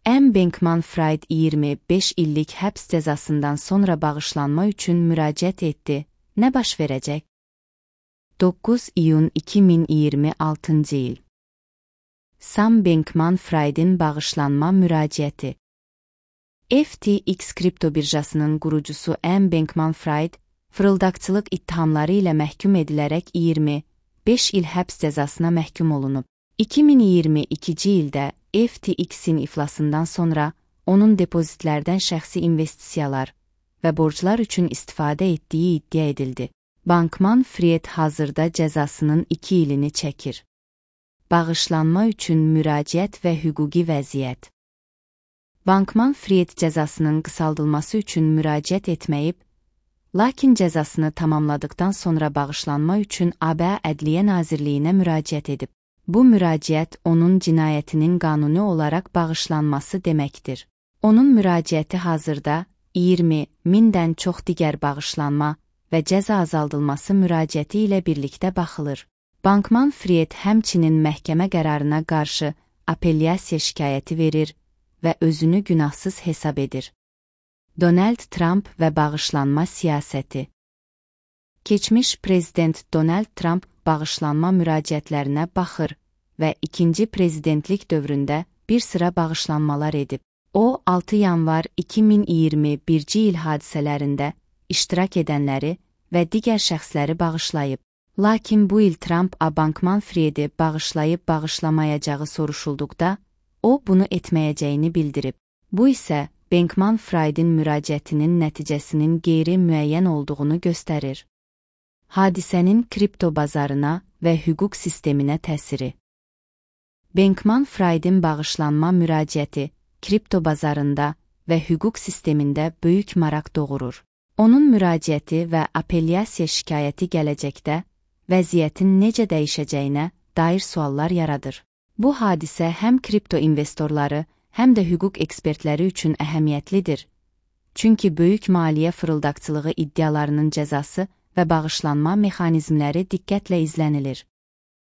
Sam Bankman-Fried 25 illik həbs cəzasından sonra bağışlanma üçün müraciət etdi. Nə baş verəcək? 9 iyun 2026 il. Sam Bankman-Fried'in bağışlanma müraciəti. FTX kripto birjasının qurucusu Sam Bankman-Fried, fırıldaqçılıq ittihamları ilə məhkum edilərək 25 il həbs cəzasına məhkum olunub. 2022-ci ildə FTX-in iflasından sonra onun depozitlərdən şəxsi investisiyalar və borclar üçün istifadə etdiyi iddia edildi. Bankman-Fried hazırda cəzasının 2 ilini çəkir. Bağışlanma üçün müraciət və hüquqi vəziyyət. Bankman-Fried cəzasının qısaldılması üçün müraciət etməyib, lakin cəzasını tamamladıqdan sonra bağışlanma üçün ABŞ Ədliyyə Nazirliyinə müraciət edib. Bu müraciət onun cinayətinin qanuni olaraq bağışlanması deməkdir. Onun müraciəti hazırda 20.000-dən çox digər bağışlanma və cəza azaldılması müraciəti ilə birlikdə baxılır. Bankman-Fried həmçinin məhkəmə qərarına qarşı apellyasiya şikayəti verir və özünü günahsız hesab edir. Donald Trump və bağışlanma siyasəti. Keçmiş prezident Donald Trump bağışlanma müraciətlərinə baxır və ikinci prezidentlik dövründə bir sıra bağışlanmalar edib. O, 6 yanvar 2021-ci il hadisələrində iştirak edənləri və digər şəxsləri bağışlayıb. Lakin bu il Trump Bankman-Fried'i bağışlayıb-bağışlamayacağı soruşulduqda, o bunu etməyəcəyini bildirib. Bu isə Bankman-Fried'in müraciətinin nəticəsinin qeyri-müəyyən olduğunu göstərir. Hadisənin kripto bazarına və hüquq sisteminə təsiri. Bankman-Fried'in bağışlanma müraciəti kripto bazarında və hüquq sistemində böyük maraq doğurur. Onun müraciəti və apellyasiya şikayəti gələcəkdə vəziyyətin necə dəyişəcəyinə dair suallar yaradır. Bu hadisə həm kripto investorları, həm də hüquq ekspertləri üçün əhəmiyyətlidir. Çünki böyük maliyyə fırıldaqçılığı iddialarının cəzası və bağışlanma mexanizmləri diqqətlə izlənilir.